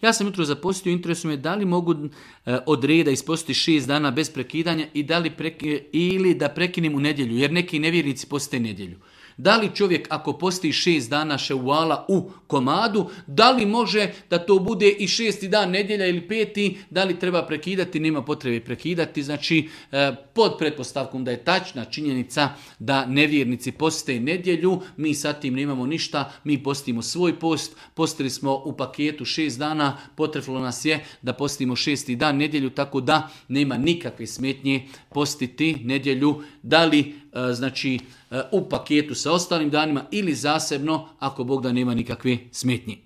Ja sam jutro zapostio, interesuje me da li mogu od reda ispostiti 6 dana bez prekidanja i ili da prekinem u nedjelju, jer neki nevjernici poste nedjelju. Da li čovjek ako posti 6 dana ševala u komadu, da li može da to bude i 6. dan nedjelja ili 5. Da li treba prekidati, nema potrebe prekidati. Znači, pod pretpostavkom da je tačna činjenica da nevjernici poste nedjelju, mi sa tim nemamo ništa, mi postimo svoj post, postili smo u paketu 6 dana, potrebno nas je da postimo 6. dan nedjelju, tako da nema nikakve smetnje postiti nedjelju, da li znači u paketu sa ostalim danima ili zasebno, ako Bog da nema nikakve smetnje.